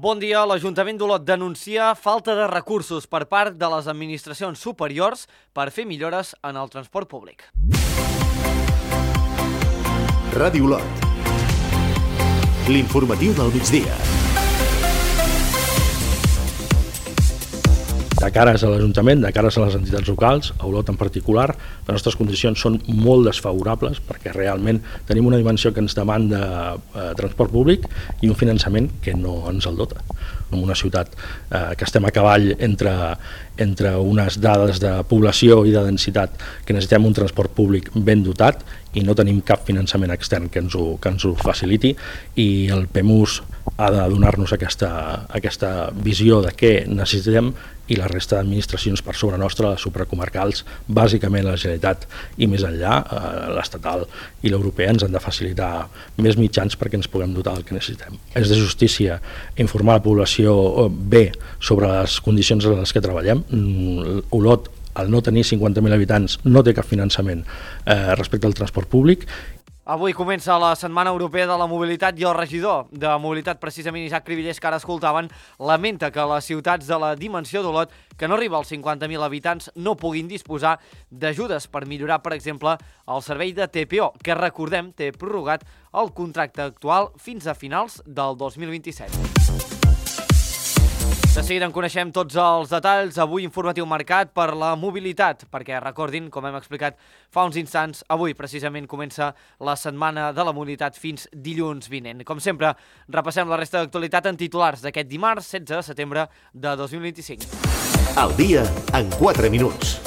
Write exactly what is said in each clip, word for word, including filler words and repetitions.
Bon dia. L'Ajuntament d'Olot denuncia falta de recursos per part de les administracions superiors per fer millores en el transport públic. Ràdio Olot. L'informatiu del migdia. De cares a l'Ajuntament, de cares a les entitats locals, a Olot en particular, les nostres condicions són molt desfavorables perquè realment tenim una dimensió que ens demanda eh, transport públic i un finançament que no ens el dota. En una ciutat eh, que estem a cavall entre, entre unes dades de població i de densitat, que necessitem un transport públic ben dotat i no tenim cap finançament extern que ens ho, que ens ho faciliti, i el P E M U S ha de donar-nos aquesta, aquesta visió de què necessitem, i la resta d'administracions per sobre nostra, les supracomarcals, bàsicament la Generalitat i més enllà, eh, l'estatal i l'europea, ens han de facilitar més mitjans perquè ens puguem dotar del que necessitem. És de justícia informar la població bé sobre les condicions en les que treballem. Olot, al no tenir cinquanta mil habitants, no té cap finançament eh, respecte al transport públic. Avui comença la Setmana Europea de la Mobilitat i el regidor de Mobilitat, precisament Isaac Cribillers, que ara escoltaven, lamenta que les ciutats de la dimensió d'Olot, que no arriba als cinquanta mil habitants, no puguin disposar d'ajudes per millorar, per exemple, el servei de T P O, que, recordem, té prorrogat el contracte actual fins a finals del dos mil vint-i-set. De seguida en coneixem tots els detalls. Avui informatiu marcat per la mobilitat, perquè recordin, com hem explicat fa uns instants, avui precisament comença la Setmana de la Mobilitat fins dilluns vinent. Com sempre, repassem la resta d'actualitat en titulars d'aquest dimarts setze de setembre de dos mil vint-i-cinc. El dia en quatre minuts.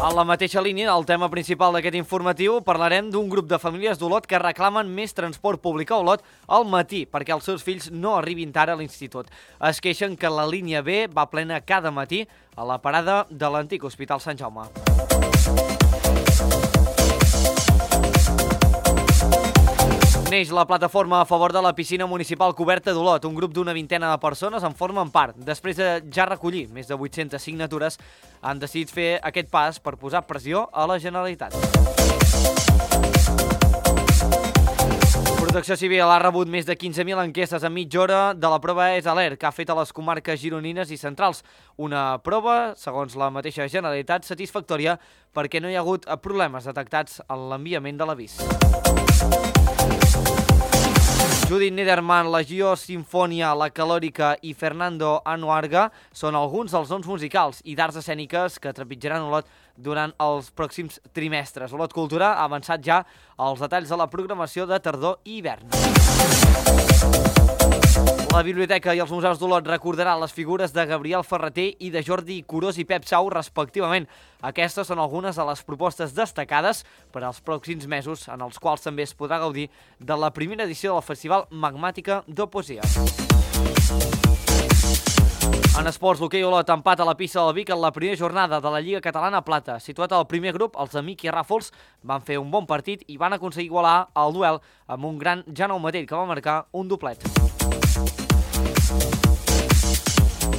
En la mateixa línia, el tema principal d'aquest informatiu, parlarem d'un grup de famílies d'Olot que reclamen més transport públic a Olot al matí perquè els seus fills no arribin tard a l'institut. Es queixen que la línia B va plena cada matí a la parada de l'antic Hospital Sant Jaume. Neix la plataforma a favor de la piscina municipal coberta d'Olot. Un grup d'una vintena de persones en formen part. Després de ja recollir més de vuit-centes signatures, han decidit fer aquest pas per posar pressió a la Generalitat. Protecció Civil ha rebut més de quinze mil enquestes en mitja hora de la prova E S Alert que ha fet a les comarques gironines i centrals. Una prova, segons la mateixa Generalitat, satisfactòria perquè no hi ha hagut problemes detectats en l'enviament de l'avís. Judith Nederman, la Gio Sinfonia, la Calòrica i Fernando Anuarga són alguns dels noms musicals i d'arts escèniques que trepitjaran Olot durant els pròxims trimestres. Olot Cultura ha avançat ja els detalls de la programació de tardor i hivern. La Biblioteca i els Museus d'Olot recordaran les figures de Gabriel Ferreter i de Jordi Curós i Pep Sau, respectivament. Aquestes són algunes de les propostes destacades per als pròxims mesos, en els quals també es podrà gaudir de la primera edició del Festival Magmàtica de Poesia. En esports, l'hoquei Olot empat a la pista del Vic en la primera jornada de la Lliga Catalana Plata. Situat al primer grup, els amics i Ràfols van fer un bon partit i van aconseguir igualar el duel amb un gran Jaume Matell, que va marcar un doblet.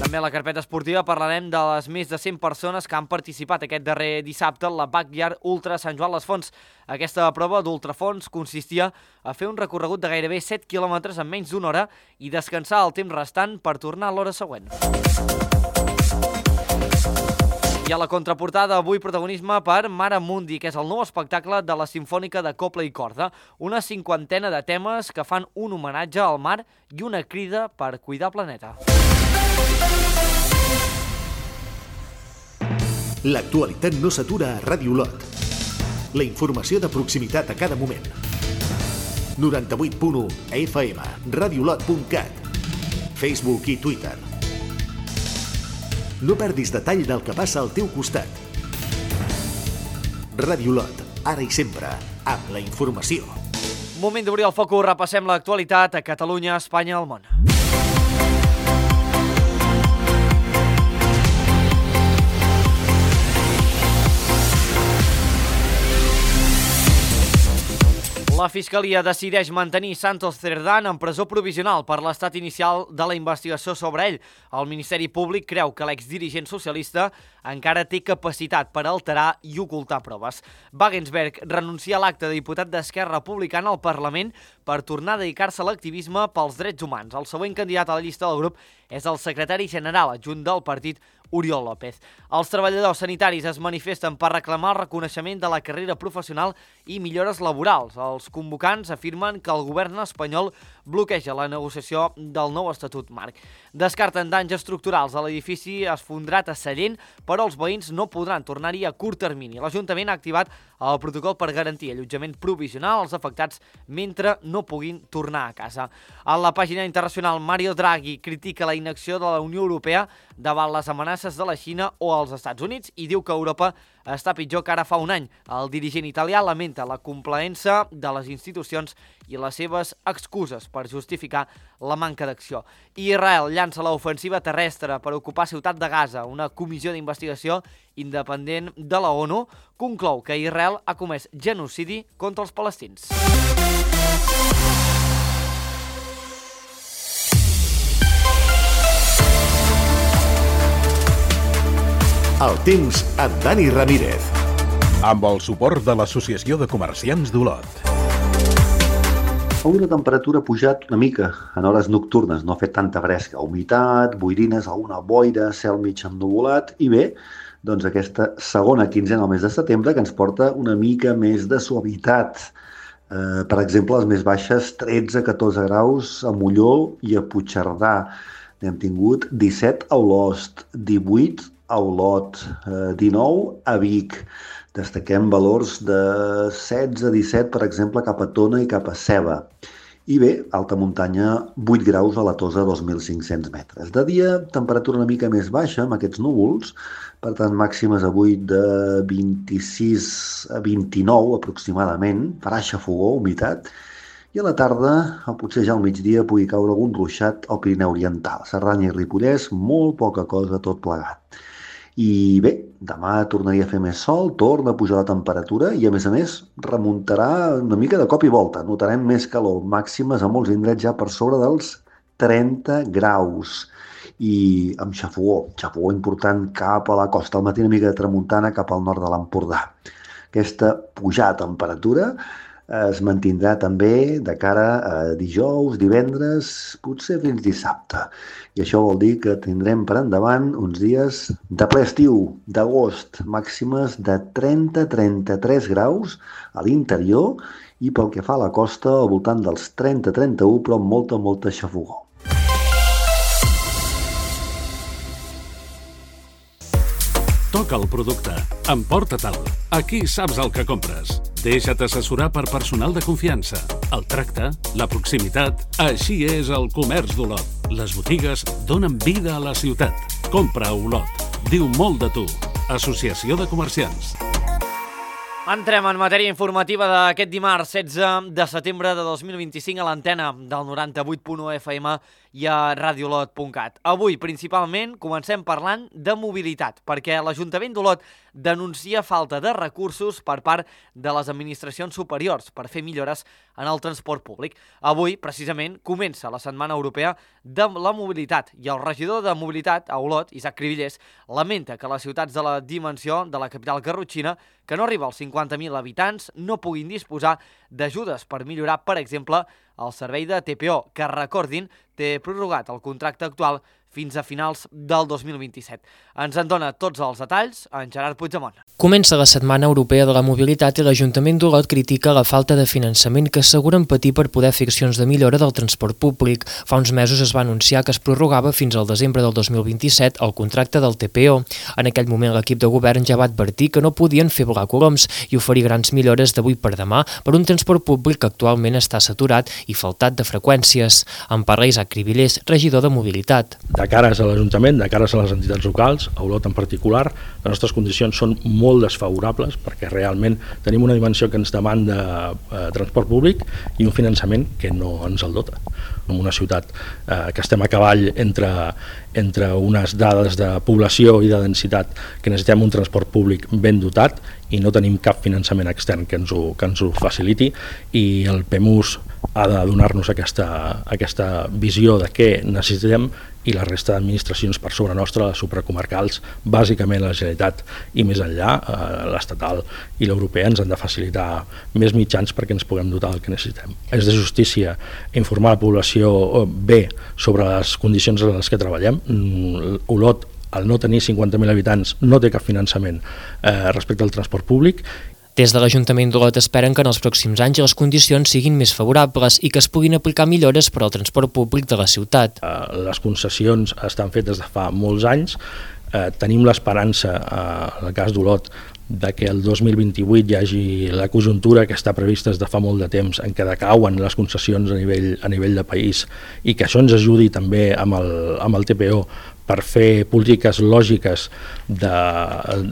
També a la carpeta esportiva parlarem de les més de cent persones que han participat aquest darrer dissabte en la Backyard Ultra Sant Joan les Fonts. Aquesta prova d'ultrafons consistia a fer un recorregut de gairebé set quilòmetres en menys d'una hora i descansar el temps restant per tornar a l'hora següent. I a la contraportada, avui protagonisme per Mare Mundi, que és el nou espectacle de la Simfònica de Cobla i Corda. Una cinquantena de temes que fan un homenatge al mar i una crida per cuidar el planeta. L'actualitat no s'atura a Ràdio Olot. La informació de proximitat a cada moment. noranta-vuit punt u F M, radiolot punt cat, Facebook i Twitter. No perdis detall del que passa al teu costat. Ràdio Olot, ara i sempre, amb la informació. Moment d'obrir el focus, repassem l'actualitat a Catalunya, Espanya i el món. La Fiscalia decideix mantenir Santos Cerdán en presó provisional per l'estat inicial de la investigació sobre ell. El Ministeri Públic creu que l'exdirigent socialista encara té capacitat per alterar i ocultar proves. Wagensberg renuncia a l'acte de diputat d'Esquerra Republicana al Parlament per tornar a dedicar-se a l'activisme pels drets humans. El següent candidat a la llista del grup és el secretari general adjunt del partit, Oriol López. Els treballadors sanitaris es manifesten per reclamar el reconeixement de la carrera professional i millores laborals. Els convocants afirmen que el govern espanyol bloqueja la negociació del nou estatut marc. Descarten danys estructurals a l'edifici esfondrat a Sallent, però els veïns no podran tornar-hi a curt termini. L'Ajuntament ha activat el protocol per garantir allotjament provisional als afectats mentre no puguin tornar a casa. A la pàgina internacional, Mario Draghi critica la inacció de la Unió Europea davant les amenaces de la Xina o els Estats Units i diu que Europa està pitjor que ara fa un any. El dirigent italià lamenta la complaença de les institucions i les seves excuses per justificar la manca d'acció. Israel llança l'ofensiva terrestre per ocupar Ciutat de Gaza. Una comissió d'investigació independent de la ONU conclou que Israel ha comès genocidi contra els palestins. El temps amb Dani Ramírez. Amb el suport de l'Associació de Comerciants d'Olot. Avui la temperatura ha pujat una mica en hores nocturnes, no ha fet tanta fresca, humitat, boirines, alguna boira, cel mig ennuvolat i bé, doncs aquesta segona quinzena al mes de setembre que ens porta una mica més de suavitat. Eh, per exemple, les més baixes tretze a catorze graus a Molló i a Puigcerdà. N'hem tingut disset a Olost, divuit a Olot, eh, dinou a Vic. Destaquem valors de setze a disset, per exemple, cap a Tona i cap a Ceba. I bé, alta muntanya, vuit graus a la Tosa, dos mil cinc-cents metres. De dia, temperatura una mica més baixa, amb aquests núvols, per tant, màximes avui de vint-i-sis a vint-i-nou aproximadament, farà xafogó, humitat, i a la tarda, o potser ja al migdia, pugui caure algun ruixat al Pirineu Oriental. Cerdanya i Ripollès, molt poca cosa tot plegat. I bé, demà tornaria a fer més sol, torna a pujar la temperatura i a més a més remuntarà una mica de cop i volta. Notarem més calor, màximes a molts indrets ja per sobre dels trenta graus. I amb xafogó, xafogó important cap a la costa, al matí una mica de tramuntana cap al nord de l'Empordà. Aquesta pujada de temperatura es mantindrà també de cara a dijous, divendres, potser fins dissabte. I això vol dir que tindrem per endavant uns dies de ple estiu, d'agost, màximes de trenta a trenta-tres graus a l'interior i pel que fa a la costa al voltant dels trenta a trenta-u, però amb molta, molta xafogó. Toca el producte, emporta-te'l. Aquí saps el que compres. Deixa't assessorar per personal de confiança. El tracte, la proximitat, així és el comerç d'Olot. Les botigues donen vida a la ciutat. Compra a Olot. Diu molt de tu. Associació de Comerciants. Entrem en matèria informativa d'aquest dimarts setze de setembre de dos mil vint-i-cinc a l'antena del noranta-vuit punt u F M i a radiolot punt cat. Avui, principalment, comencem parlant de mobilitat, perquè l'Ajuntament d'Olot denuncia falta de recursos per part de les administracions superiors per fer millores en el transport públic. Avui, precisament, comença la Setmana Europea de la Mobilitat i el regidor de Mobilitat a Olot, Isaac Cribillers, lamenta que les ciutats de la dimensió de la capital garrotxina, que no arriba als cinquanta mil habitants, no puguin disposar d'ajudes per millorar, per exemple, el servei de T P O, que, recordin, té prorrogat el contracte actual fins a finals del dos mil vint-i-set. Ens en dona tots els detalls en Gerard Puigdemont. Comença la Setmana Europea de la Mobilitat i l'Ajuntament d'Olot critica la falta de finançament que asseguren patir per poder fer accions de millora del transport públic. Fa uns mesos es va anunciar que es prorrogava fins al desembre del dos mil vint-i-set el contracte del T P O. En aquell moment l'equip de govern ja va advertir que no podien fer volar coloms i oferir grans millores d'avui per demà per un transport públic que actualment està saturat i faltat de freqüències. En parla Isaac Cribillers, regidor de Mobilitat. De cares a l'Ajuntament, de cares a les entitats locals, a Olot en particular, les nostres condicions són molt desfavorables perquè realment tenim una dimensió que ens demanda eh, transport públic i un finançament que no ens el dota. En una ciutat eh, que estem a cavall entre, entre unes dades de població i de densitat, que necessitem un transport públic ben dotat i no tenim cap finançament extern que ens ho, que ens ho faciliti, i el P E M U S ha de donar-nos aquesta, aquesta visió de què necessitem, i la resta d'administracions per sobre nostra, les supracomarcals, bàsicament la Generalitat i més enllà, eh, l'estatal i l'europea, ens han de facilitar més mitjans perquè ens puguem dotar del que necessitem. És de justícia informar la població bé sobre les condicions en les que treballem. Olot, al no tenir cinquanta mil habitants, no té cap finançament eh, respecte al transport públic. Des de l'Ajuntament d'Olot esperen que en els pròxims anys les condicions siguin més favorables i que es puguin aplicar millores per al transport públic de la ciutat. Les concessions estan fetes de fa molts anys. Tenim l'esperança, en el cas d'Olot, de que el dos mil vint-i-vuit hi hagi la conjuntura que està prevista des de fa molt de temps en què decauen les concessions a nivell, a nivell de país, i que això ens ajudi també amb el, amb el T P O per fer polítiques lògiques de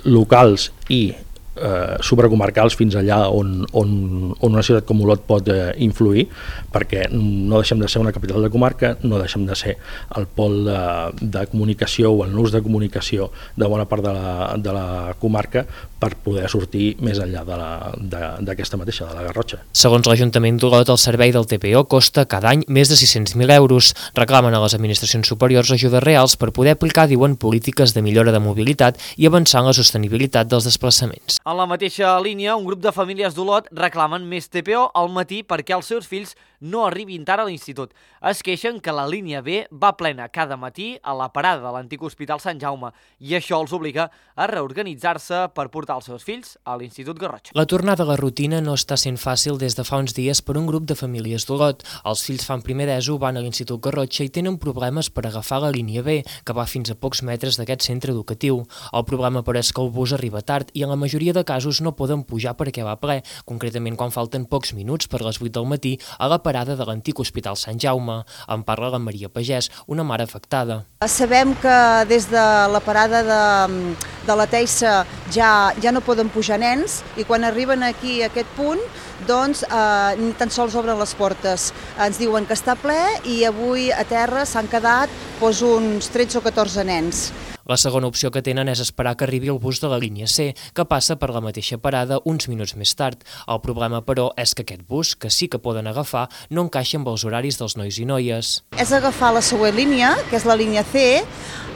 locals i Eh, supracomarcals fins allà on, on, on una ciutat com Olot pot eh, influir, perquè no deixem de ser una capital de comarca, no deixem de ser el pol de, de comunicació o el nus de comunicació de bona part de la, de la comarca, per poder sortir més enllà d'aquesta mateixa, de la Garrotxa. Segons l'Ajuntament d'Olot, el servei del T P O costa cada any més de sis-cents mil euros. Reclamen a les administracions superiors ajudes reals per poder aplicar, diuen, polítiques de millora de mobilitat i avançar en la sostenibilitat dels desplaçaments. En la mateixa línia, un grup de famílies d'Olot reclamen més T P O al matí perquè els seus fills no arribin tard a l'institut. Es queixen que la línia B va plena cada matí a la parada de l'antic Hospital Sant Jaume i això els obliga a reorganitzar-se per portar els seus fills a l'Institut Garrotxa. La tornada a la rutina no està sent fàcil des de fa uns dies per un grup de famílies d'Olot. Els fills fan primer d'ESO, van a l'Institut Garrotxa i tenen problemes per agafar la línia B, que va fins a pocs metres d'aquest centre educatiu. El problema, però, és que el bus arriba tard i en la majoria de casos no poden pujar perquè va ple, concretament quan falten pocs minuts per les vuit del matí a la parada de l'antic Hospital Sant Jaume. En parla la Maria Pagès, una mare afectada. Sabem que des de la parada de, de la Teissa ja, ja no poden pujar nens i quan arriben aquí a aquest punt doncs eh, ni tan sols obren les portes. Ens diuen que està ple i avui a terra s'han quedat doncs, uns tretze o catorze nens. La segona opció que tenen és esperar que arribi el bus de la línia C, que passa per la mateixa parada uns minuts més tard. El problema, però, és que aquest bus, que sí que poden agafar, no encaixa amb els horaris dels nois i noies. És agafar la següent línia, que és la línia C.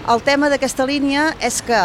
El tema d'aquesta línia és que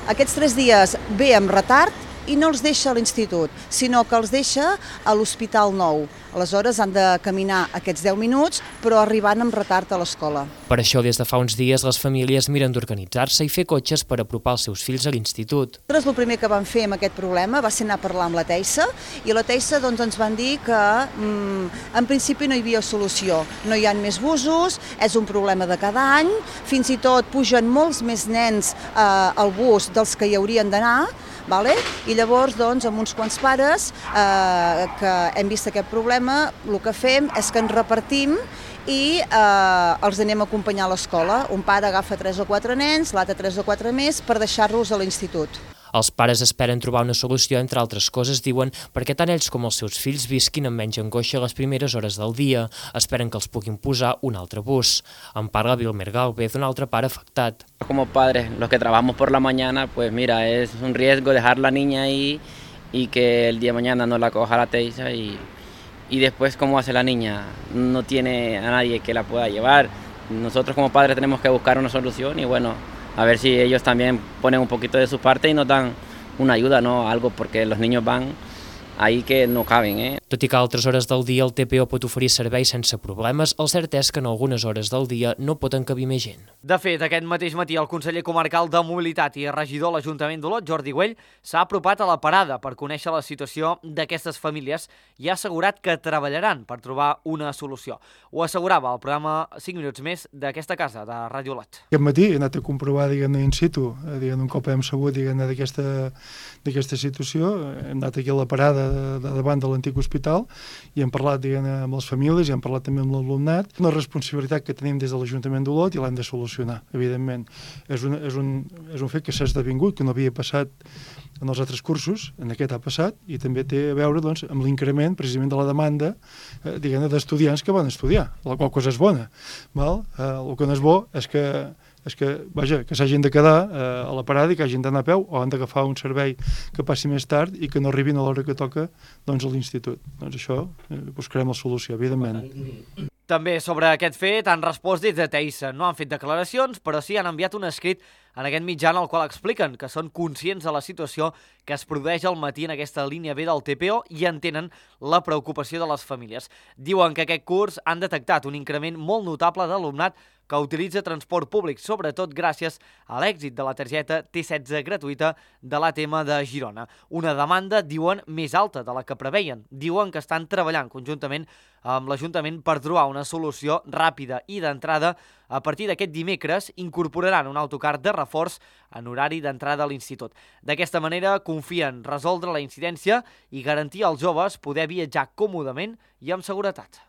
aquests tres dies ve amb retard i no els deixa a l'institut, sinó que els deixa a l'Hospital Nou. Aleshores han de caminar aquests deu minuts, però arribant amb retard a l'escola. Per això, des de fa uns dies, les famílies miren d'organitzar-se i fer cotxes per apropar els seus fills a l'institut. Nosaltres el primer que vam fer amb aquest problema va ser anar a parlar amb la Teissa, i la Teissa doncs, ens van dir que mm, en principi no hi havia solució. No hi ha més busos, és un problema de cada any, fins i tot pugen molts més nens eh, al bus dels que hi haurien d'anar, Vale? I llavors, doncs, amb uns quants pares eh, que hem vist aquest problema, el que fem és que ens repartim i eh, els anem a acompanyar a l'escola. Un pare agafa tres o quatre nens, l'altre tres o quatre més, per deixar-los a l'institut. Els pares esperen trobar una solució, entre altres coses, diuen, perquè tant ells com els seus fills visquin amb menys angoixa les primeres hores del dia. Esperen que els puguin posar un altre bus. En parla Vilmer Galvez, un altre pare afectat. Como padres, los que trabajamos por la mañana, pues mira, es un riesgo dejar la niña ahí y que el día de mañana no la coja la Teissa y, y después, ¿cómo hace la niña? No tiene a nadie que la pueda llevar. Nosotros como padres tenemos que buscar una solución y bueno, a ver si ellos también ponen un poquito de su parte y nos dan una ayuda, ¿no? Algo, porque los niños van ahí que no caben, eh? Tot i que a altres hores del dia el T P O pot oferir servei sense problemes, el cert és que en algunes hores del dia no pot encabir més gent. De fet, aquest mateix matí el conseller comarcal de Mobilitat i regidor a l'Ajuntament d'Olot, Jordi Güell, s'ha apropat a la parada per conèixer la situació d'aquestes famílies i ha assegurat que treballaran per trobar una solució. Ho assegurava al programa cinc minuts més d'aquesta casa, de Ràdio Olot. Aquest matí he anat a comprovar, diguem-ne, in situ, diguem-ne, un cop hem sabut, diguem-ne, d'aquesta situació. Hem anat aquí a la parada de, de davant de l'antic hospital l'hospital i hem parlat, diguem-ne, amb les famílies i hem parlat també amb l'alumnat. Una responsabilitat que tenim des de l'Ajuntament d'Olot i l'hem de solucionar, evidentment. És un, és un, és un fet que s'ha esdevingut, que no havia passat en els altres cursos, en aquest ha passat, i també té a veure doncs, amb l'increment precisament de la demanda eh, diguem-ne, d'estudiants que van estudiar, la qual cosa és bona. Val? Eh, el que no és bo és que és que, vaja, que s'hagin de quedar eh, a la parada i que hagin d'anar a peu o han d'agafar un servei que passi més tard i que no arribin a l'hora que toca doncs, a l'institut. Doncs això eh, buscarem la solució, evidentment. També sobre aquest fet han respost des de Teissa. No han fet declaracions, però sí han enviat un escrit en aquest mitjà en el qual expliquen que són conscients de la situació que es produeix al matí en aquesta línia B del T P O i entenen la preocupació de les famílies. Diuen que aquest curs han detectat un increment molt notable d'alumnat que utilitza transport públic, sobretot gràcies a l'èxit de la targeta T setze gratuïta de l'A T M de Girona. Una demanda, diuen, més alta de la que preveien. Diuen que estan treballant conjuntament amb l'Ajuntament per trobar una solució ràpida i d'entrada. A partir d'aquest dimecres incorporaran un autocar de reforç en horari d'entrada a l'institut. D'aquesta manera confien resoldre la incidència i garantir als joves poder viatjar còmodament i amb seguretat.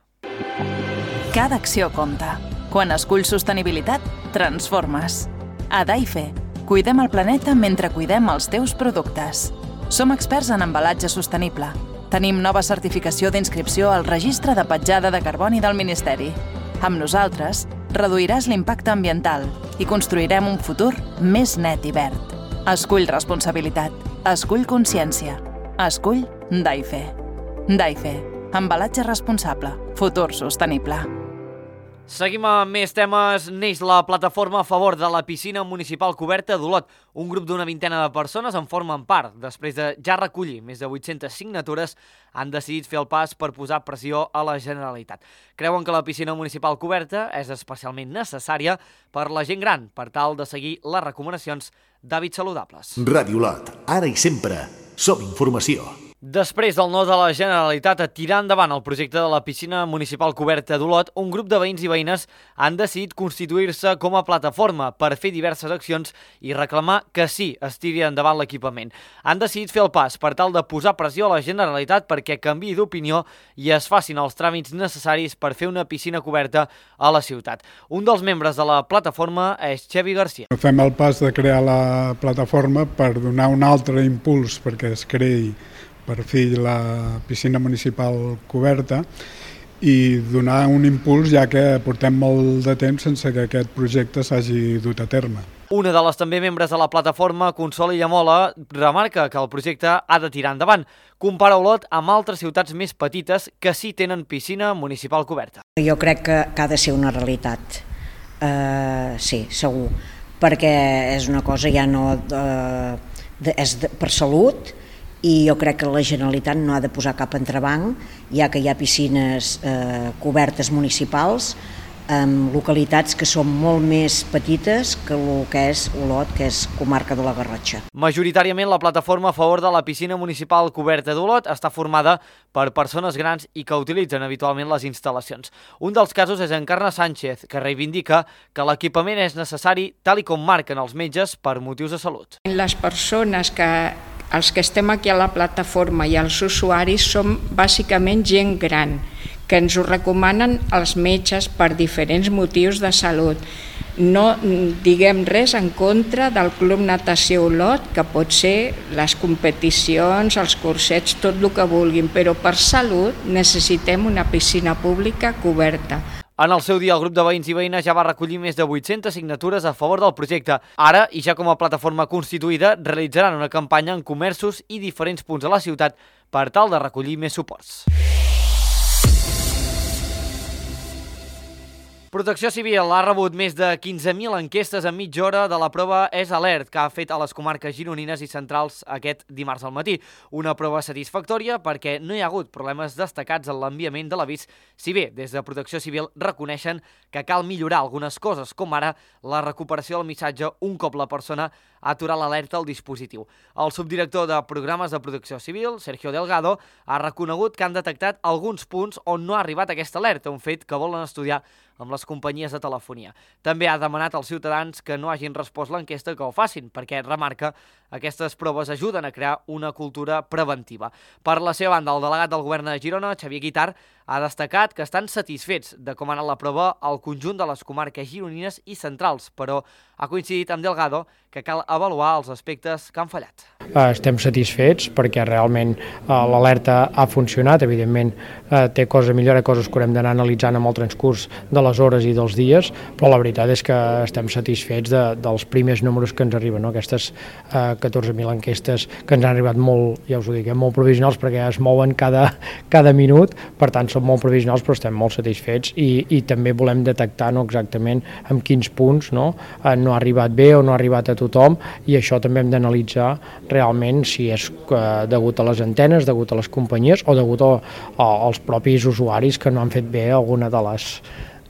Cada acció compta. Quan esculls sostenibilitat, transformes. A Daife, cuidem el planeta mentre cuidem els teus productes. Som experts en embalatge sostenible. Tenim nova certificació d'inscripció al Registre de Petjada de Carboni del Ministeri. Amb nosaltres, reduiràs l'impacte ambiental i construirem un futur més net i verd. Escull responsabilitat. Escull consciència. Escull Daife. Daife. Embalatge responsable. Futur sostenible. Seguim amb més temes. Neix la plataforma a favor de la piscina municipal coberta d'Olot. Un grup d'una vintena de persones en formen part. Després de ja recollir més de vuit-centes signatures, han decidit fer el pas per posar pressió a la Generalitat. Creuen que la piscina municipal coberta és especialment necessària per la gent gran, per tal de seguir les recomanacions d'hàbits saludables. Ràdio Olot, ara i sempre, som informació. Després del no de la Generalitat a tirar endavant el projecte de la piscina municipal coberta d'Olot, un grup de veïns i veïnes han decidit constituir-se com a plataforma per fer diverses accions i reclamar que sí es tiri endavant l'equipament. Han decidit fer el pas per tal de posar pressió a la Generalitat perquè canviï d'opinió i es facin els tràmits necessaris per fer una piscina coberta a la ciutat. Un dels membres de la plataforma és Xavi Garcia. Fem el pas de crear la plataforma per donar un altre impuls perquè es creï per fi la piscina municipal coberta i donar un impuls ja que portem molt de temps sense que aquest projecte s'hagi dut a terme. Una de les també membres de la plataforma, Consol Illamola, remarca que el projecte ha de tirar endavant. Compara Olot amb altres ciutats més petites que sí tenen piscina municipal coberta. Jo crec que, que ha de ser una realitat, uh, sí, segur, perquè és una cosa ja no uh, de, és de, per salut, i jo crec que la Generalitat no ha de posar cap entrebanc, ja que hi ha piscines eh, cobertes municipals en localitats que són molt més petites que el que és Olot, que és comarca de la Garrotxa. Majoritàriament la plataforma a favor de la piscina municipal coberta d'Olot està formada per persones grans i que utilitzen habitualment les instal·lacions. Un dels casos és Encarna Sánchez, que reivindica que l'equipament és necessari tal i com marquen els metges per motius de salut. Les persones que els que estem aquí a la plataforma i els usuaris som bàsicament gent gran, que ens ho recomanen els metges per diferents motius de salut. No diguem res en contra del Club Natació Olot, que pot ser les competicions, els cursets, tot el que vulguin, però per salut necessitem una piscina pública coberta. En el seu dia, el grup de veïns i veïnes ja va recollir més de vuit-centes signatures a favor del projecte. Ara, i ja com a plataforma constituïda, realitzaran una campanya en comerços i diferents punts de la ciutat per tal de recollir més suports. Protecció Civil ha rebut més de quinze mil enquestes en mitja hora de la prova És Alert, que ha fet a les comarques gironines i centrals aquest dimarts al matí. Una prova satisfactòria perquè no hi ha hagut problemes destacats en l'enviament de l'avís, si bé des de Protecció Civil reconeixen que cal millorar algunes coses, com ara la recuperació del missatge un cop la persona aturar l'alerta al dispositiu. El subdirector de Programes de Protecció Civil, Sergio Delgado, ha reconegut que han detectat alguns punts on no ha arribat aquesta alerta, un fet que volen estudiar amb les companyies de telefonia. També ha demanat als ciutadans que no hagin respost l'enquesta que ho facin, perquè remarca aquestes proves ajuden a crear una cultura preventiva. Per la seva banda, el delegat del govern de Girona, Xavier Guitart, ha destacat que estan satisfets de com ha anat la prova al conjunt de les comarques gironines i centrals, però ha coincidit amb Delgado que cal avaluar els aspectes que han fallat. Estem satisfets perquè realment l'alerta ha funcionat, evidentment té coses a millorar, coses que haurem d'anar analitzant amb el transcurs de les hores i dels dies, però la veritat és que estem satisfets de, dels primers números que ens arriben, no? Aquestes eh, catorze mil enquestes que ens han arribat molt, ja us ho dic, eh, molt provisionals perquè es mouen cada, cada minut, per tant són molt provisionals però estem molt satisfets i, i també volem detectar no, exactament en quins punts no, eh, no ha arribat bé o no ha arribat a tothom i això també hem d'analitzar realment si és eh, degut a les antenes, degut a les companyies o degut a, a, als propis usuaris que no han fet bé alguna de les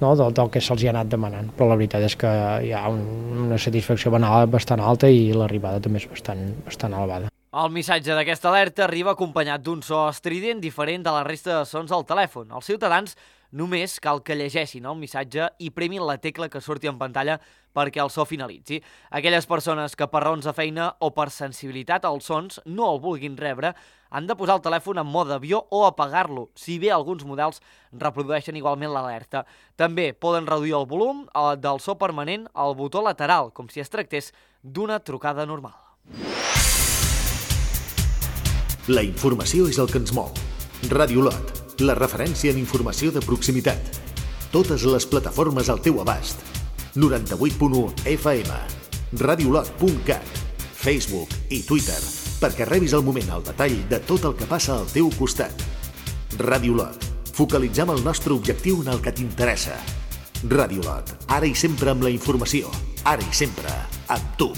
no, del, del que se'ls ha anat demanant, però la veritat és que hi ha un, una satisfacció bastant alta i l'arribada també és bastant, bastant elevada. El missatge d'aquesta alerta arriba acompanyat d'un so estrident diferent de la resta de sons del telèfon. Els ciutadans només cal que llegeixin el missatge i premin la tecla que surti en pantalla perquè el so finalitzi. Aquelles persones que per raons de feina o per sensibilitat als sons no el vulguin rebre han de posar el telèfon en mode avió o apagar-lo, si bé alguns models reprodueixen igualment l'alerta. També poden reduir el volum del so permanent al botó lateral, com si es tractés d'una trucada normal. La informació és el que ens mou. Ràdio Lot, la referència en informació de proximitat. Totes les plataformes al teu abast. noranta-vuit punt u F M, radiolot punt cat, Facebook i Twitter, perquè rebis al moment el detall de tot el que passa al teu costat. Ràdio Lot, focalitzem el nostre objectiu en el que t'interessa. Ràdio Lot, ara i sempre amb la informació, ara i sempre amb tu.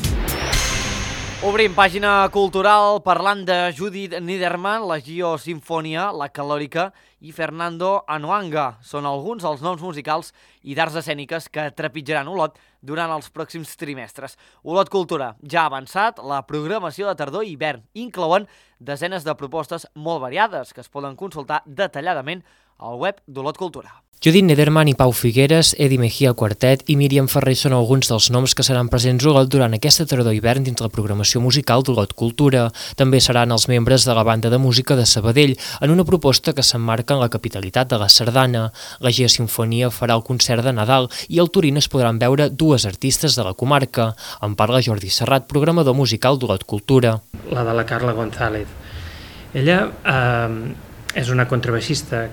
Obrim pàgina cultural parlant de Judith Niederman, la Gio Sinfonia, la Calòrica i Fernando Anuanga. Són alguns dels noms musicals i d'arts escèniques que trepitjaran Olot durant els pròxims trimestres. Olot Cultura ja ha avançat, la programació de tardor i hivern inclouen desenes de propostes molt variades que es poden consultar detalladament al web d'Olot Cultura. Judith Niederman i Pau Figueres, Edi Mejía Quartet i Míriam Ferrer són alguns dels noms que seran presents a Olot durant aquesta tardor-hivern dins la programació musical d'Olot Cultura. També seran els membres de la banda de música de Sabadell, en una proposta que s'emmarca en la capitalitat de la sardana. La Gio Sinfonia farà el concert de Nadal i al Turín es podran veure dues artistes de la comarca. En parla Jordi Serrat, programador musical d'Olot Cultura. La de la Carla González. Ella eh, és una contrabaixista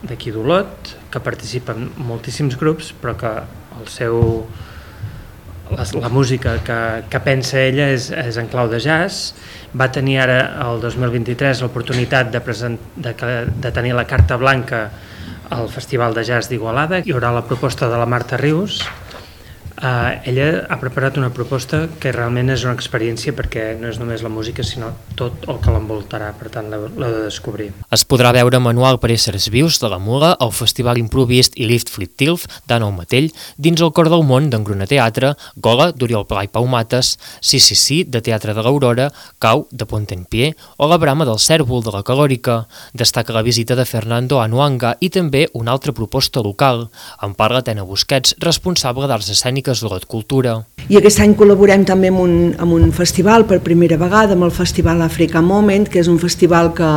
d'aquí d'Olot, que participa en moltíssims grups, però que el seu, la, la música que, que pensa ella és, és en clau de jazz. Va tenir ara, el dos mil vint-i-tres, l'oportunitat de, present, de, de tenir la carta blanca al Festival de Jazz d'Igualada. Hi haurà la proposta de la Marta Rius. Uh, ella ha preparat una proposta que realment és una experiència perquè no és només la música sinó tot el que l'envoltarà, per tant l'heu de descobrir. Es podrà veure Manual per éssers vius de la Mula, el Festival Improvist i Lift Flip Tilf d'Anna Matell, dins el Cor del Món d'Engruna Teatre, Gola d'Oriol Pla i Pau Mates, Sí Sí Sí de Teatre de l'Aurora, Cau de Pontenpié o la Brama del Cèrvol de la Calòrica. Destaca la visita de Fernando Anuanga i també una altra proposta local. En parla Tena Busquets, responsable d'Arts Escèniques d'Olot Cultura. I aquest any col·laborem també amb un, amb un festival per primera vegada, amb el Festival Africa Moment, que és un festival que,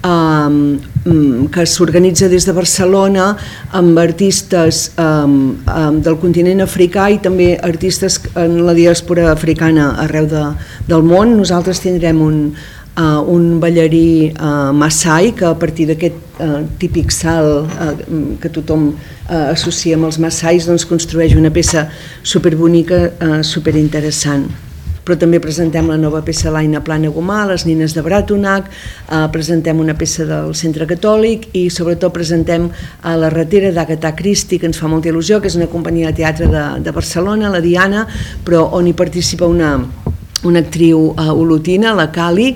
um, que s'organitza des de Barcelona amb artistes um, um, del continent africà i també artistes en la diàspora africana arreu de, del món. Nosaltres tindrem un Uh, un ballarí uh, Maasai que a partir d'aquest uh, típic salt uh, que tothom uh, associa amb els Maasais doncs construeix una peça superbonica, uh, superinteressant. Però també presentem la nova peça l'Aina Plana Gomà, les nines de Bratonac, uh, presentem una peça del Centre Catòlic i sobretot presentem a La Ratera d'Agatha Christie, que ens fa molta il·lusió, que és una companyia de teatre de, de Barcelona, la Diana, però on hi participa una, una actriu uh, olotina, la Cali.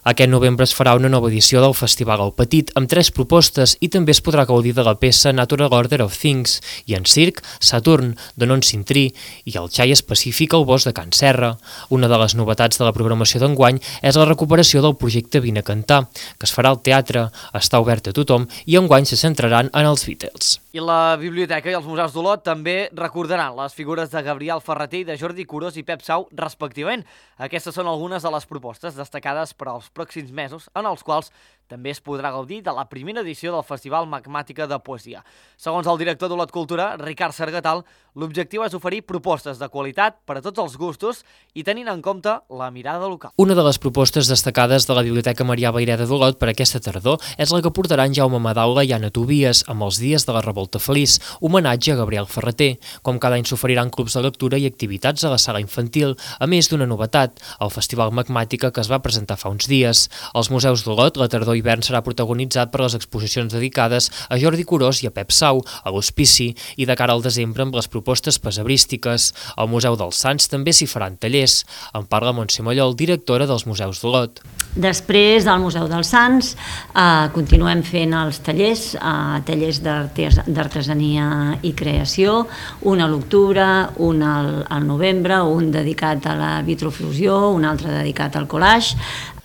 Aquest novembre es farà una nova edició del Festival El Petit amb tres propostes i també es podrà gaudir de la peça Natural Order of Things i en circ Saturn, de Non Sintrí i el xai específic al bosc de Can Serra. Una de les novetats de la programació d'enguany és la recuperació del projecte Vine a Cantar, que es farà al teatre, està obert a tothom i enguany se centraran en els Beatles. I la Biblioteca i els Museus d'Olot també recordaran les figures de Gabriel Ferreter i de Jordi Curós i Pep Sau, respectivament. Aquestes són algunes de les propostes destacades per als pròxims mesos, en els quals també es podrà gaudir de la primera edició del Festival Magmàtica de Poesia. Segons el director d'Olot Cultura, Ricard Sargatal, l'objectiu és oferir propostes de qualitat per a tots els gustos i tenint en compte la mirada local. Una de les propostes destacades de la Biblioteca Marià Vayreda d'Olot per aquesta tardor és la que portaran Jaume Madaula i Anna Tobias amb els Dies de la Revolta Feliç, homenatge a Gabriel Ferreter. Com cada any s'oferiran clubs de lectura i activitats a la sala infantil, a més d'una novetat, el Festival Magmàtica que es va presentar fa uns dies. Als Museus d'Olot, la tardor hivern serà protagonitzat per les exposicions dedicades a Jordi Curós i a Pep Sau, a l'Hospici, i de cara al desembre amb les propostes pesebrístiques. Al Museu dels Sants també s'hi faran tallers. En parla Montse Mallol, directora dels Museus d'Olot. Després del Museu dels Sants eh, continuem fent els tallers, eh, tallers d'artesania i creació, un a l'octubre, un al, al novembre, un dedicat a la vitrofusió, un altre dedicat al collage.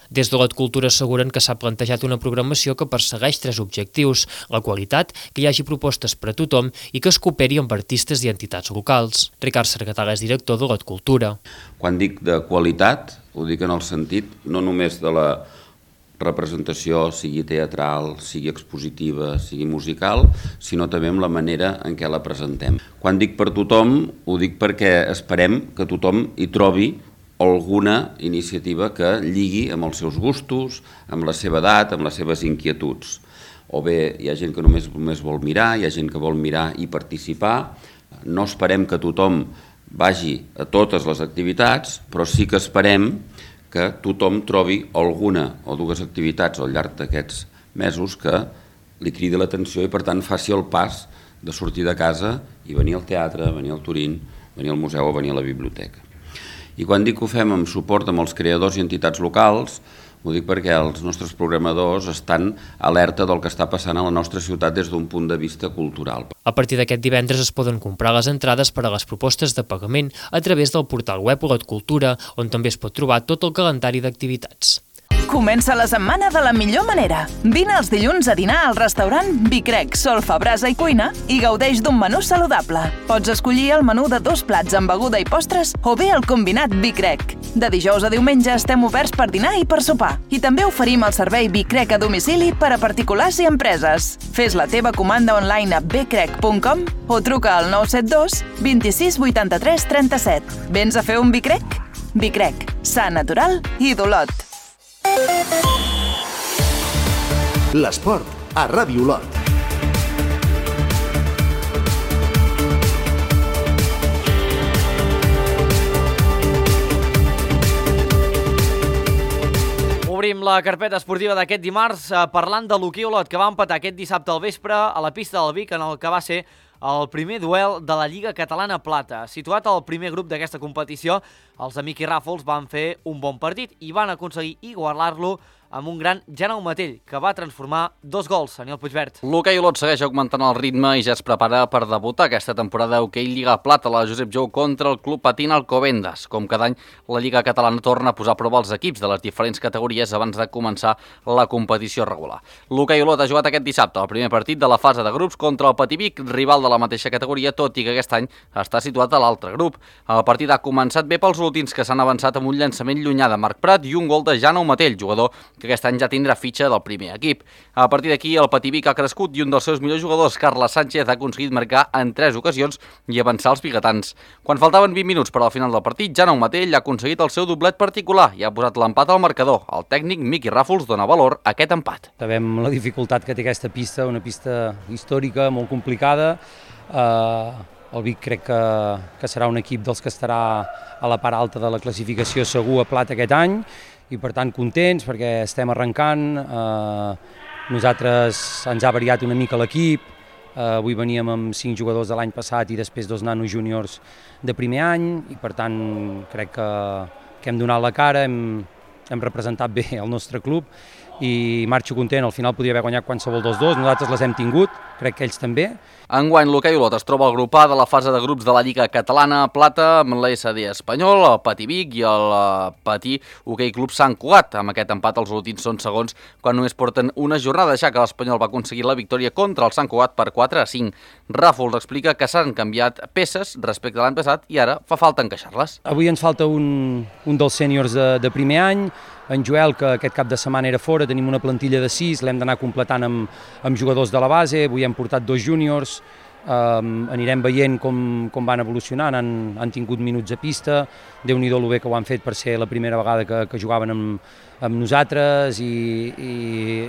Des d'Olot Cultura asseguren que s'ha plantejat una programació que persegueix tres objectius: la qualitat, que hi hagi propostes per a tothom i que es cooperi amb artistes i entitats locals. Ricard Sargatal és director d'Olot Cultura. Quan dic de qualitat, ho dic en el sentit no només de la representació, sigui teatral, sigui expositiva, sigui musical, sinó també amb la manera en què la presentem. Quan dic per tothom, ho dic perquè esperem que tothom hi trobi alguna iniciativa que lligui amb els seus gustos, amb la seva edat, amb les seves inquietuds. O bé hi ha gent que només, només vol mirar, hi ha gent que vol mirar i participar. No esperem que tothom vagi a totes les activitats, però sí que esperem que tothom trobi alguna o dues activitats al llarg d'aquests mesos que li cridi l'atenció i per tant faci el pas de sortir de casa i venir al teatre, venir al Turín, venir al museu o venir a la biblioteca. I quan dic que ho fem amb suport amb els creadors i entitats locals, ho dic perquè els nostres programadors estan alerta del que està passant a la nostra ciutat des d'un punt de vista cultural. A partir d'aquest divendres es poden comprar les entrades per a les propostes de pagament a través del portal web Olot Cultura, on també es pot trobar tot el calendari d'activitats. Comença la setmana de la millor manera. Vine els dilluns a dinar al restaurant Bicrec, Solfa, Brasa i Cuina i gaudeix d'un menú saludable. Pots escollir el menú de dos plats amb beguda i postres o bé el combinat Bicrec. De dijous a diumenge estem oberts per dinar i per sopar. I també oferim el servei Bicrec a domicili per a particulars i empreses. Fes la teva comanda online a bcrec punt com o truca al nou set dos, vint-i-sis, vuitanta-tres, trenta-set. Vens a fer un Bicrec? Bicrec, sa, natural i d'Olot. L'esport a Ràdio Olot. Obrim la carpeta esportiva d'aquest dimarts eh, parlant de l'hoquei Olot, que va empatar aquest dissabte al vespre a la pista del Vic en el que va ser el primer duel de la Lliga Catalana Plata. Situat al primer grup d'aquesta competició, els amics i Ràfols van fer un bon partit i van aconseguir igualar-lo amb un gran Jaume Tell, que va transformar dos gols. Aniol Puigvert. L'hoquei Olot segueix augmentant el ritme i ja es prepara per debutar aquesta temporada d'hoquei Lliga Plata, la Josep Jou contra el Club Patín Alcobendas. Com cada any, la Lliga Catalana torna a posar a prova els equips de les diferents categories abans de començar la competició regular. L'hoquei Olot ha jugat aquest dissabte el primer partit de la fase de grups contra el Patí Vic, rival de la mateixa categoria, tot i que aquest any està situat a l'altre grup. El partit ha començat bé pels olotins, que s'han avançat amb un llançament llunyà de Marc Prat i un gol de Jaume Tell, jugador que aquest any ja tindrà fitxa del primer equip. A partir d'aquí, el Patí Vic ha crescut i un dels seus millors jugadors, Carles Sánchez, ha aconseguit marcar en tres ocasions i avançar els biguetans. Quan faltaven vint minuts per al final del partit, Jaume Tell ha aconseguit el seu doblet particular i ha posat l'empat al marcador. El tècnic Miqui Ràfols dona valor a aquest empat. Sabem la dificultat que té aquesta pista, una pista històrica, molt complicada. Uh, el Vic crec que, que serà un equip dels que estarà a la part alta de la classificació segur a Plata aquest any, i per tant contents perquè estem arrencant. Eh, nosaltres ens ha variat una mica l'equip, eh, avui veníem amb cinc jugadors de l'any passat i després dos nanos júniors de primer any i per tant crec que, que hem donat la cara, hem, hem representat bé el nostre club i marxo content, al final podria haver guanyat qualsevol dels dos, nosaltres les hem tingut, crec que ells també. Enguany l'hoquei Olot es troba al grup A de la fase de grups de la Lliga Catalana Plata amb l'S D Espanyol, el Patí Vic i el Patí Hoquei Club Sant Cugat. Amb aquest empat els últims són segons quan només porten una jornada, deixar que l'Espanyol va aconseguir la victòria contra el Sant Cugat per quatre a cinc. Ràfols explica que s'han canviat peces respecte a l'any passat i ara fa falta encaixar-les. Avui ens falta un, un dels sèniors de, de primer any, en Joel, que aquest cap de setmana era fora, tenim una plantilla de sis, l'hem d'anar completant amb, amb jugadors de la base, avui hem portat dos júniors, um, anirem veient com, com van evolucionant, han, han tingut minuts a pista, Déu-n'hi-do lo bé que ho han fet per ser la primera vegada que, que jugaven amb, amb nosaltres i, i,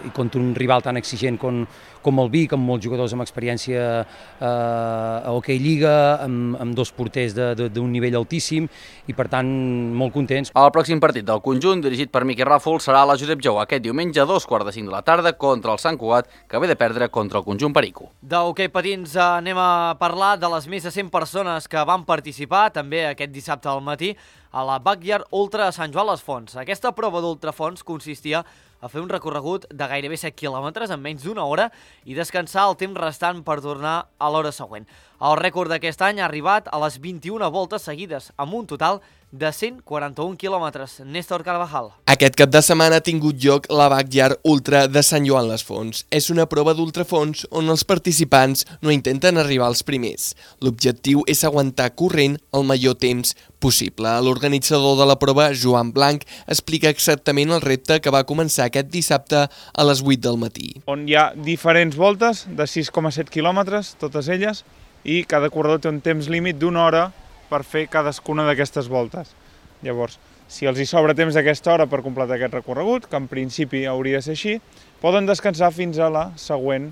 i contra un rival tan exigent com, com el Vic, amb molts jugadors amb experiència eh, a Hoquei Lliga, amb, amb dos porters d'un nivell altíssim i per tant molt contents. El pròxim partit del conjunt, dirigit per Miqui Ràfol, serà a la Josep Jou aquest diumenge a dos quarts de cinc de la tarda contra el Sant Cugat, que ve de perdre contra el conjunt Perico. D'hoquei patins anem a parlar de les més de cent persones que van participar també aquest dissabte al matí a la Backyard Ultra a Sant Joan les Fonts. Aquesta prova d'ultrafons consistia a fer un recorregut de gairebé set quilòmetres en menys d'una hora i descansar el temps restant per tornar a l'hora següent. El rècord d'aquest any ha arribat a les vint-i-una voltes seguides, amb un total de cent quaranta-un quilòmetres. Néstor Carvajal. Aquest cap de setmana ha tingut lloc la Backyard Ultra de Sant Joan les Fonts. És una prova d'ultrafons on els participants no intenten arribar als primers. L'objectiu és aguantar corrent el major temps possible. L'organitzador de la prova, Joan Blanc, explica exactament el repte que va començar aquest dissabte a les vuit del matí. On hi ha diferents voltes de sis coma set quilòmetres, totes elles, i cada corredor té un temps límit d'una hora per fer cadascuna d'aquestes voltes. Llavors, si els hi sobra temps d'aquesta hora per completar aquest recorregut, que en principi hauria de ser així, poden descansar fins a la següent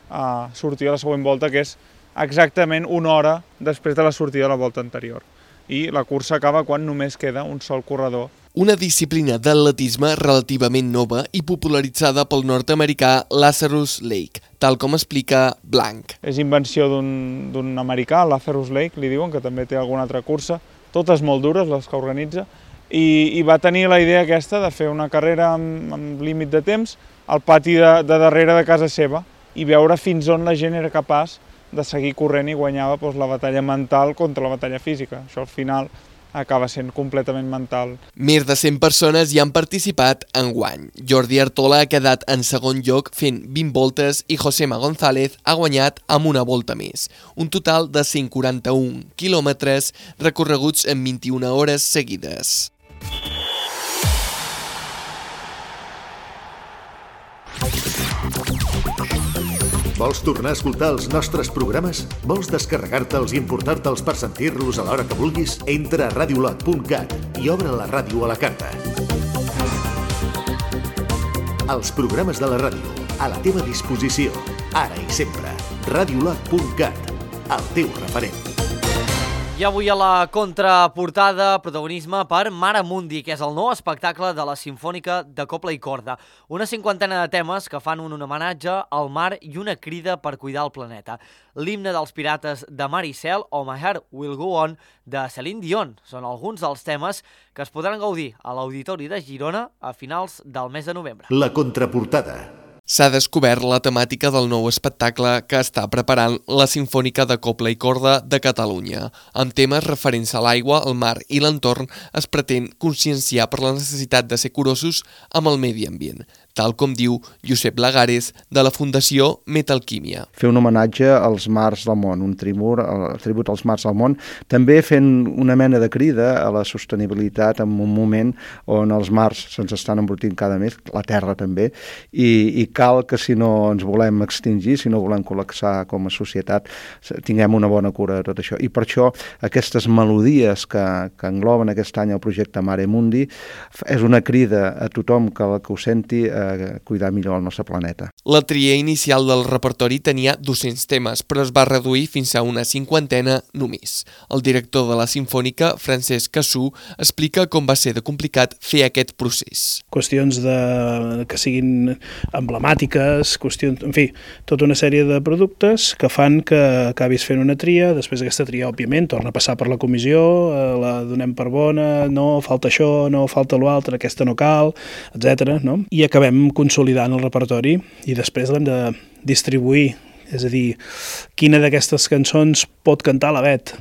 a sortir a la següent volta, que és exactament una hora després de la sortida de la volta anterior. I la cursa acaba quan només queda un sol corredor. Una disciplina d'atletisme relativament nova i popularitzada pel nord-americà Lazarus Lake, tal com explica Blanc. És invenció d'un americà, Lazarus Lake, li diuen, que també té alguna altra cursa, totes molt dures, les que organitza, i, i va tenir la idea aquesta de fer una carrera amb, amb límit de temps al pati de, de darrere de casa seva i veure fins on la gent era capaç de seguir corrent i guanyava doncs, la batalla mental contra la batalla física. Això al final acaba sent completament mental. Més de cent persones hi han participat enguany. Jordi Artola ha quedat en segon lloc fent vint voltes i Josema González ha guanyat amb una volta més. Un total de cent quaranta-un quilòmetres recorreguts en vint-i-una hores seguides. Vols tornar a escoltar els nostres programes? Vols descarregar-te'ls i importar-te'ls per sentir-los a l'hora que vulguis? Entra a radiolot punt cat i obre la ràdio a la carta. Els programes de la ràdio, a la teva disposició, ara i sempre. radiolot punt cat, el teu referent. I avui a la contraportada, protagonisme per Mare Mundi, que és el nou espectacle de la Simfònica de Cobla i Corda. Una cinquantena de temes que fan un homenatge al mar i una crida per cuidar el planeta. L'himne dels pirates de Mar i Cel o My Heart Will Go On de Celine Dion són alguns dels temes que es podran gaudir a l'Auditori de Girona a finals del mes de novembre. La contraportada. S'ha descobert la temàtica del nou espectacle que està preparant la Simfònica de Cobla i Corda de Catalunya. Amb temes referents a l'aigua, el mar i l'entorn, es pretén conscienciar per la necessitat de ser curosos amb el medi ambient, tal com diu Josep Lagares, de la Fundació Metalquímia. Fer un homenatge als mars del món, un tribut, el tribut als mars del món, també fent una mena de crida a la sostenibilitat en un moment on els mars se'ns estan embrutint cada mes, la Terra també, i, i cal que si no ens volem extingir, si no volem col·lapsar com a societat, tinguem una bona cura de tot això. I per això aquestes melodies que, que engloben aquest any el projecte Mare Mundi és una crida a tothom que, que ho senti a cuidar millor el nostre planeta. La tria inicial del repertori tenia dos-cents temes, però es va reduir fins a una cinquantena només. El director de la Simfònica, Francesc Cassú, explica com va ser de complicat fer aquest procés. Qüestions de, que siguin emblemàtiques, qüestions, en fi, tota una sèrie de productes que fan que acabis fent una tria, després aquesta tria, òbviament, torna a passar per la comissió, la donem per bona, no, falta això, no, falta l'altre, aquesta no cal, etcètera. No? I acabem consolidant el repertori i després l'hem de distribuir, és a dir, quina d'aquestes cançons pot cantar la Bet,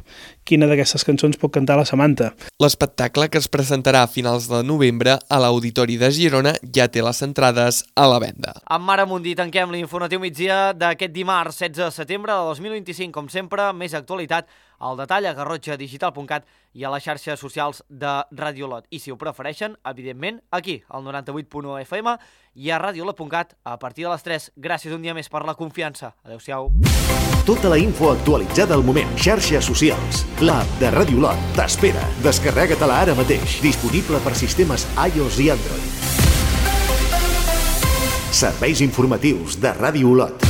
quina d'aquestes cançons pot cantar la Samantha. L'espectacle, que es presentarà a finals de novembre a l'Auditori de Girona, ja té les entrades a la venda. Amb Mara Mundí tanquem l'informatiu migdia d'aquest dimarts setze de setembre de dos mil vint-i-cinc. Com sempre, més actualitat al detall a garrotxa digital punt cat i a les xarxes socials de Ràdio Olot. I si ho prefereixen, evidentment, aquí, al noranta-vuit punt u F M i a radiolot punt cat a partir de les tres. Gràcies un dia més per la confiança. Adéu-siau. Tota la info actualitzada al moment. Xarxes socials. L'app de Ràdio Olot t'espera. Descarrega-te-la ara mateix. Disponible per sistemes iOS i Android. Serveis informatius de Ràdio Olot.